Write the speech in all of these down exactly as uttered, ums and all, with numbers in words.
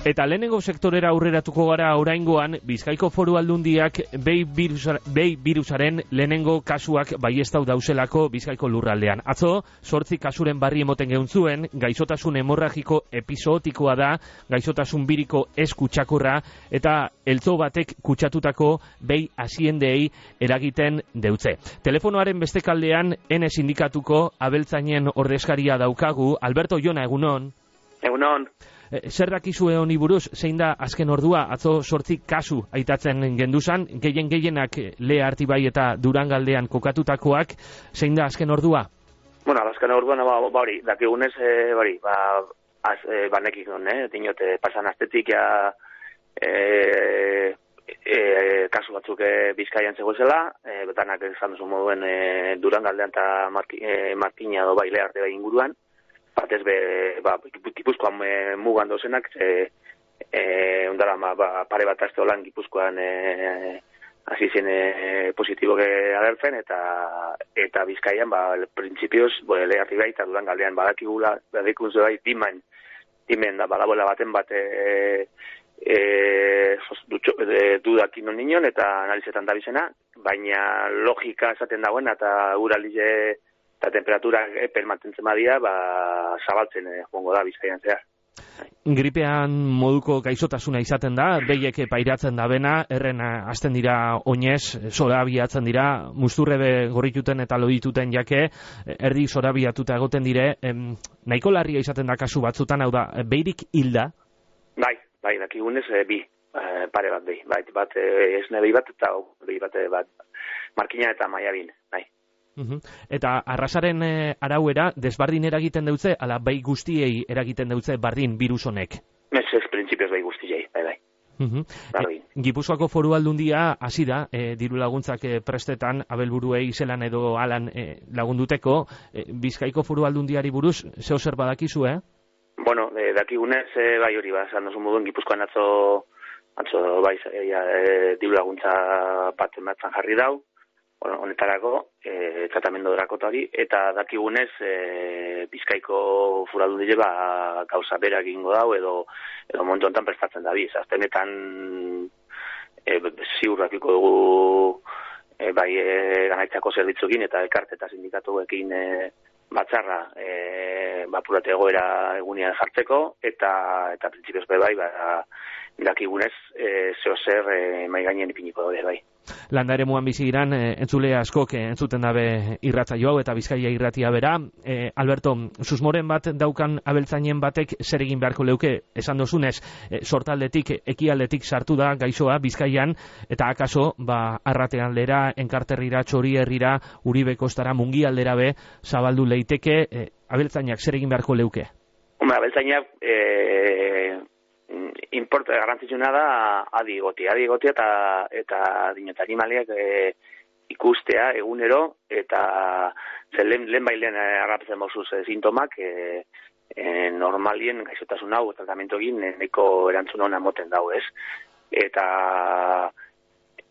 Eta lehenengo sektorera aurreratuko gara oraingoan, Bizkaiko Foru Aldundiak behi virusa, behi virusaren lehenengo kasuak baiestau dauselako Bizkaiko lurraldean. Atzo, zortzi kasuren barri emoten geun zuen, gaixotasun hemorragiko epizootikoa da, gaixotasun biriko ez kutsakurra, eta eltzo batek kutsatutako behi hasiendeei eragiten deutze. Telefonoaren beste kaldean, ene sindikatuko abeltzainen ordezkaria daukagu, Alberto Jona, egunon. Egunon. Zer dakizue honi buruz, zein da azken ordua, atzo sortzi kasu aitatzen genduzan, gehien gehienak Lea Artibai eta Durangaldean kokatutakoak, zein da azken ordua? Bueno, azken orduan, ba, ba hori, dakigunez, e, hori, ba, az, e, banekik non, eh? Dinot, e, pasan astetik, ja, e, e, kasu batzuk e, Bizkaian zegoezela, e, betanak esan duzu moduen e, Durangaldean eta Marki, e, Markina edo bai Lea Artibai inguruan, batez be, ba, Gipuzkoan e, mugan dozenak, e, e, ondara, ba, ba, pare bat azte holan Gipuzkoan e, hasi zen e, positibo agertzen, eta eta Bizkaian, ba, printzipioz, bo, Lea Artibai eta Durangaldean badakigula, badikun bai, diman, dimen da, badaboela baten bat, e, e, e, dudakin non nion, eta analizetan da bizena, baina logika esaten dagoen, eta uralize, eta temperatura epen mantentzen badia, ba, zabaltzen eh, joango da Bizkaian zehar. Gripean moduko gaixotasuna izaten da, behiek pairatzen da bena, erren hasten dira oinez, zorabiatzen dira, musturrebe gorrituten eta lodituten jake, erdi zorabiatuta egoten dire, em, nahiko larria izaten da kasu batzutan, hau da, behirik hilda? Bai, bai, dakigunez, e, bi, e, pare bat behi, bai, bat e, esne behi bat, eta behi bat, e, bat, Markina eta Maiabin, bai. Uhum. Eta arrasaren e, arauera, desbardin eragiten deutze, ala bai guztiei eragiten deutze bardin virus honek? Ez ez, printzipioz bai guztiei, bai, bai. Uhum. E, Gipuzkoako Foru Aldundia hasi da, e, diru laguntzak e, prestetan, abelburuei zelan edo alan e, lagunduteko, e, Bizkaiko Foru Aldundiari buruz, zeo zer badakizu, eh? Bueno, e, dakigunez, e, bai hori, ba, zan dozu moduen Gipuzkoan atzo, atzo bai, e, e, diru laguntza bat ematzen jarri dau, honetarako, e, tratamendu drakotari, eta dakigunez e, Bizkaiko Foru Aldundia ba, gauza bera egingo dau, edo, edo momentu honetan prestatzen da biz. Aztenetan e, ziur dakiko dugu e, bai e, ganaitzako zerbitzuekin eta elkarte eta sindikatuekin e, batzarra e, bapurate egoera egunean jartzeko, eta eta printzipioz bai, ba, dakigunez e, zeo zer e, mai gainen ipiniko daude bai. Landa ere muan bizi giran, e, entzule askok e, entzuten dabe irratzaio hau eta Bizkaia irratia bera. E, Alberto, susmoren bat daukan abeltzainen batek zer egin beharko leuke, esan dozunez, e, sortaldetik, ekialdetik sartu da gaixoa Bizkaian, eta akaso, ba, arratean lera, enkarterrira, txori herrira, Uribe kostara, mungi aldera be, zabaldu leiteke, e, abeltzainak zer egin beharko leuke? Hombre, abeltzainak, e... importa garrantzitsuna da adi egotia, adi egotia eta eta dinot animaliak e, ikustea egunero, eta zen lehen, lehen bailen harrapatzen bauzuz e, sintomak e, e, normalien gaixotasun hau tratamentu egin neko erantzun hona moten dau, ez? Eta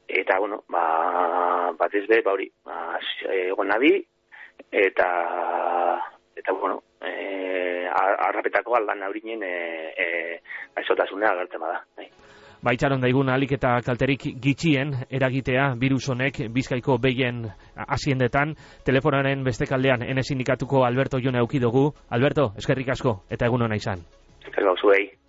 eta bueno, ba batez be, ba hori, ba egon adi eta eta bueno, eh arrapetako aldan aurinen eh eh gaixotasuna agertzen bada, bai. Ba, itxaron daigun alik eta kalterik gitxien eragitea virus honek Bizkaiko behien hasiendetan. Telefonaren beste kaldean ene sindikatuko Alberto Jona eduki dugu. Alberto, eskerrik asko eta egun ona izan. Eskerrik asko zuei.